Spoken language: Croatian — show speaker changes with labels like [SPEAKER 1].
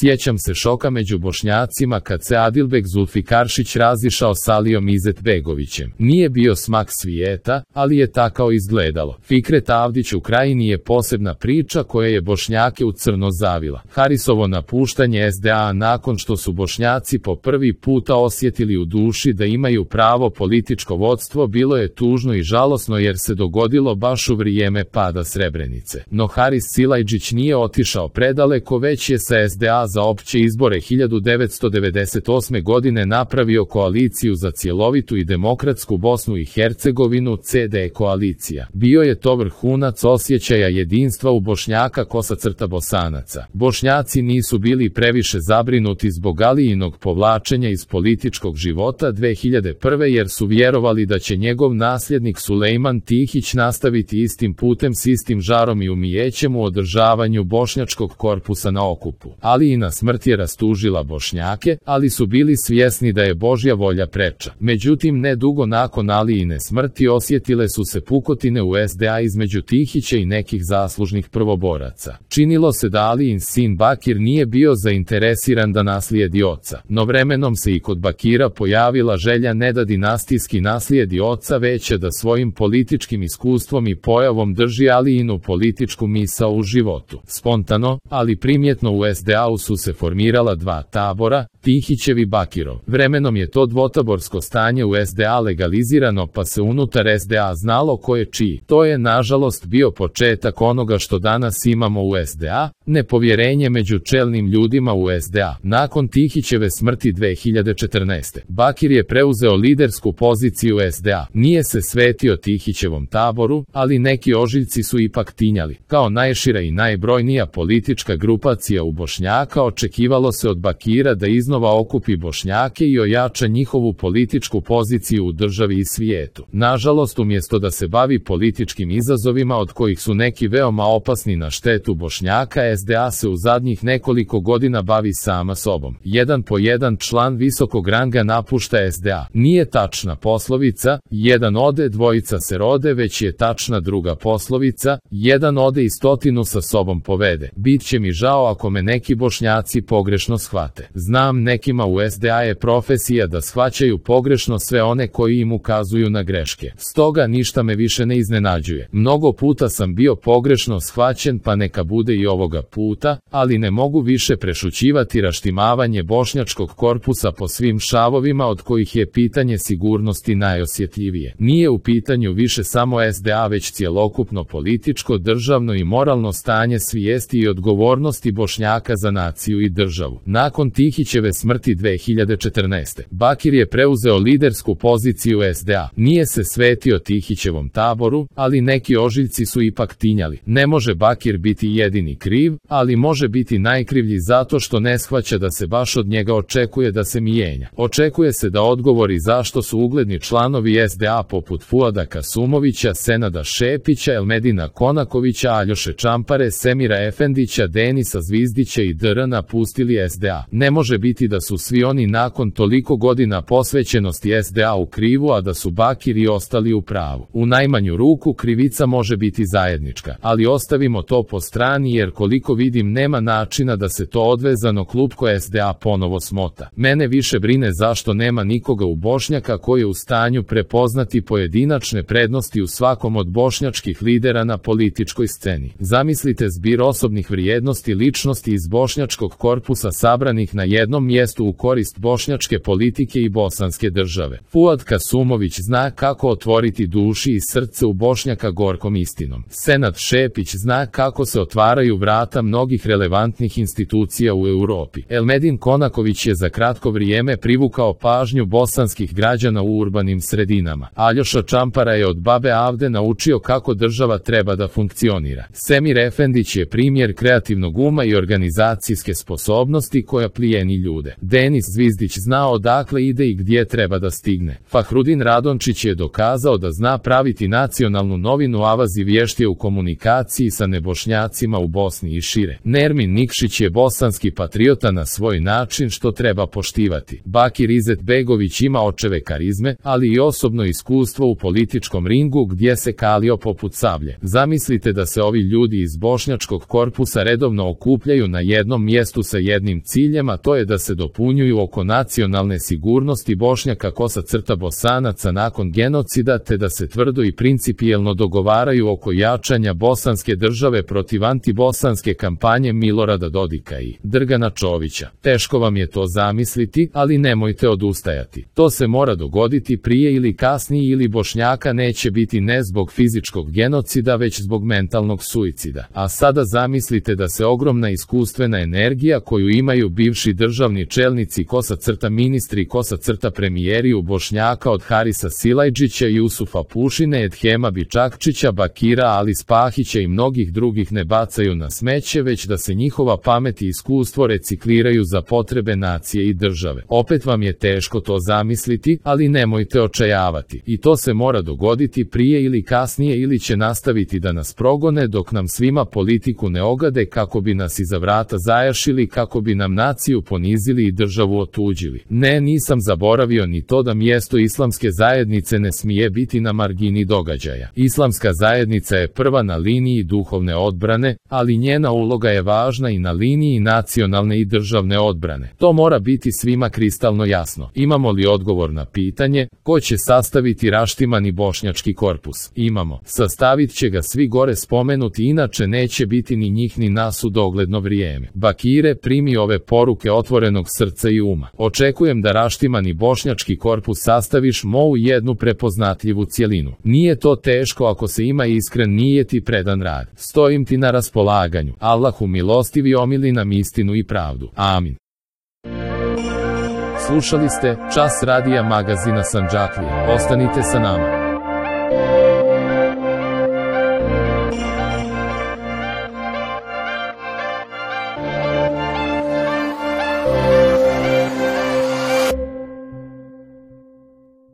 [SPEAKER 1] Sjećam se šoka među Bošnjacima kad se Adilbek Zulfikaršić razišao s Alijom Izetbegovićem. Nije bio smak svijeta, ali je tako izgledalo. Fikret Avdić u Krajini je posebna priča koja je Bošnjake u crno zavila. Harisovo napuštanje SDA nakon što su Bošnjaci po prvi puta osjetili u duši da imaju pravo političko vodstvo bilo je tužno i žalosno jer se dogodilo baš u vrijeme pada Srebrenice. No Haris Silajdžić nije otišao predaleko, već je sa SDA za opće izbore 1998. godine napravio koaliciju za cjelovitu i demokratsku Bosnu i Hercegovinu, CD koalicija. Bio je to vrhunac osjećaja jedinstva u Bošnjaka _Bosanaca. Bošnjaci nisu bili previše zabrinuti zbog Alijinog povlačenja iz političkog života 2001. jer su vjerovali da će njegov nasljednik Sulejman Tihić nastaviti istim putem s istim žarom i umijećem u održavanju bošnjačkog korpusa na okupu. Alijina smrt je rastužila Bošnjake, ali su bili svjesni da je Božja volja preča. Međutim, ne dugo nakon Alijine smrti osjetile su se pukotine u SDA između Tihića i nekih zaslužnih prvoboraca. Činilo se da Alijin sin Bakir nije bio zainteresiran da naslijedi oca, no vremenom se i kod Bakira pojavila želja ne da dinastijski naslijedi oca, već da svojim političkim iskustvom i pojavom drži Alijinu političku misao u životu. Spontano, ali primjetno u SDA-u su se formirala dva tabora, Tihićev i Bakirov. Vremenom je to dvotaborsko stanje u SDA legalizirano pa se unutar SDA znalo ko je čiji. To je nažalost bio početak onoga što danas imamo u SDA, nepovjerenje među čelnim ljudima u SDA. Nakon Tihićeve smrti 2014. Bakir je preuzeo lidersku poziciju SDA. Nije se svetio Tihićevom taboru, ali neki ožiljci su ipak tinjali. Kao najšira i najbrojnija politička grupacija u Bošnjaka očekivalo se od Bakira da iznova okupi Bošnjake i ojača njihovu političku poziciju u državi i svijetu. Nažalost, umjesto da se bavi političkim izazovima od kojih su neki veoma opasni na štetu Bošnjaka, SDA se u zadnjih nekoliko godina bavi sama sobom. Jedan po jedan član visokog ranga napušta SDA. Nije tačna poslovica, jedan ode, dvojica se rode, već je tačna druga poslovica, jedan ode i 100 sa sobom povede. Bit će mi žao ako me neki Bošnjaci pogrešno shvate. Znam, nekima u SDA je profesija da shvaćaju pogrešno sve one koji im ukazuju na greške. Stoga ništa me više ne iznenađuje. Mnogo puta sam bio pogrešno shvaćen, pa neka bude i ovoga puta, ali ne mogu više prešućivati raštimavanje bošnjačkog korpusa po svim šavovima od kojih je pitanje sigurnosti najosjetljivije. Nije u pitanju više samo SDA, već cjelokupno političko, državno i moralno stanje svijesti i odgovornosti Bošnjaka za naciju i državu. Nakon Tihićeve smrti 2014. Bakir je preuzeo lidersku poziciju SDA. Nije se svetio Tihićevom taboru, ali neki ožiljci su ipak tinjali. Ne može Bakir biti jedini kriv, ali može biti najkrivlji zato što ne shvaća da se baš od njega očekuje da se mijenja. Očekuje se da odgovori zašto su ugledni članovi SDA poput Fuada Kasumovića, Senada Šepića, Elmedina Konakovića, Aljoše Čampare, Semira Efendića, Denisa Zvizdića i Dr. napustili SDA. Ne može biti da su svi oni nakon toliko godina posvećenosti SDA u krivu, a da su Bakir i ostali u pravu. U najmanju ruku krivica može biti zajednička, ali ostavimo to po strani jer koliko vidim nema načina da se to odvezano klupko SDA ponovo smota. Mene više brine zašto nema nikoga u Bošnjaka koji je u stanju prepoznati pojedinačne prednosti u svakom od bošnjačkih lidera na političkoj sceni. Zamislite zbir osobnih vrijednosti ličnosti iz bošnjačkog korpusa sabranih na jednom mjestu u korist bošnjačke politike i bosanske države. Fuad Kasumović zna kako otvoriti duši i srce u Bošnjaka gorkom istinom. Senad Šepić zna kako se otvaraju vrata mnogih relevantnih institucija u Europi. Elmedin Konaković je za kratko vrijeme privukao pažnju bosanskih građana u urbanim sredinama. Aljoša Čampara je od babe Avde naučio kako država treba da funkcionira. Semir Efendić je primjer kreativnog uma i organizacijske sposobnosti koja plijeni ljude. Denis Zvizdić zna odakle ide i gdje treba da stigne. Fahrudin Radončić je dokazao da zna praviti nacionalnu novinu, Avazi vješt je u komunikaciji sa nebošnjacima u Bosni i šire. Nermin Nikšić je bosanski patriota na svoj način što treba poštivati. Bakir Izetbegović ima očeve karizme, ali i osobno iskustvo u političkom ringu gdje se kalio poput sablje. Zamislite da se ovi ljudi iz bošnjačkog korpusa redovno okupljaju na jednom jednom mjestu sa jednim ciljem, a to je da se dopunjuju oko nacionalne sigurnosti Bošnjaka Bosanaca nakon genocida, te da se tvrdo i principijelno dogovaraju oko jačanja bosanske države protiv antibosanske kampanje Milorada Dodika i Drgana Čovića. Teško vam je to zamisliti, ali nemojte odustajati. To se mora dogoditi prije ili kasnije, ili Bošnjaka neće biti ne zbog fizičkog genocida, već zbog mentalnog suicida. A sada zamislite da se ogromna iskustvena energija koju imaju bivši državni čelnici ministri premijeri u Bošnjaka od Harisa Silajdžića, Jusufa Pušine, Edhema Bičakčića, Bakira Ali Spahića i mnogih drugih ne bacaju na smeće, već da se njihova pamet i iskustvo recikliraju za potrebe nacije i države. Opet vam je teško to zamisliti, ali nemojte očajavati. I to se mora dogoditi prije ili kasnije, ili će nastaviti da nas progone dok nam svima politiku ne ogade, kako bi nas iza vrata zajašili, kako bi nam naciju ponizili i državu otuđili. Ne, nisam zaboravio ni to da mjesto islamske zajednice ne smije biti na margini događaja. Islamska zajednica je prva na liniji duhovne odbrane, ali njena uloga je važna i na liniji nacionalne i državne odbrane. To mora biti svima kristalno jasno. Imamo li odgovor na pitanje ko će sastaviti raštimani bošnjački korpus? Imamo. Sastavit će ga svi gore spomenuti, inače neće biti ni njih ni nas u dogledno vrijeme. Bakire, primi ove poruke otvorenog srca i uma. Očekujem da raštimani bošnjački korpus sastaviš u jednu prepoznatljivu cjelinu. Nije to teško ako se ima iskren nijet i predan rad. Stojim ti na raspolaganju. Allahu milostivi omili nam istinu i pravdu. Amin. Slušali ste Čas radija magazina Sandžaklija. Ostanite sa nama.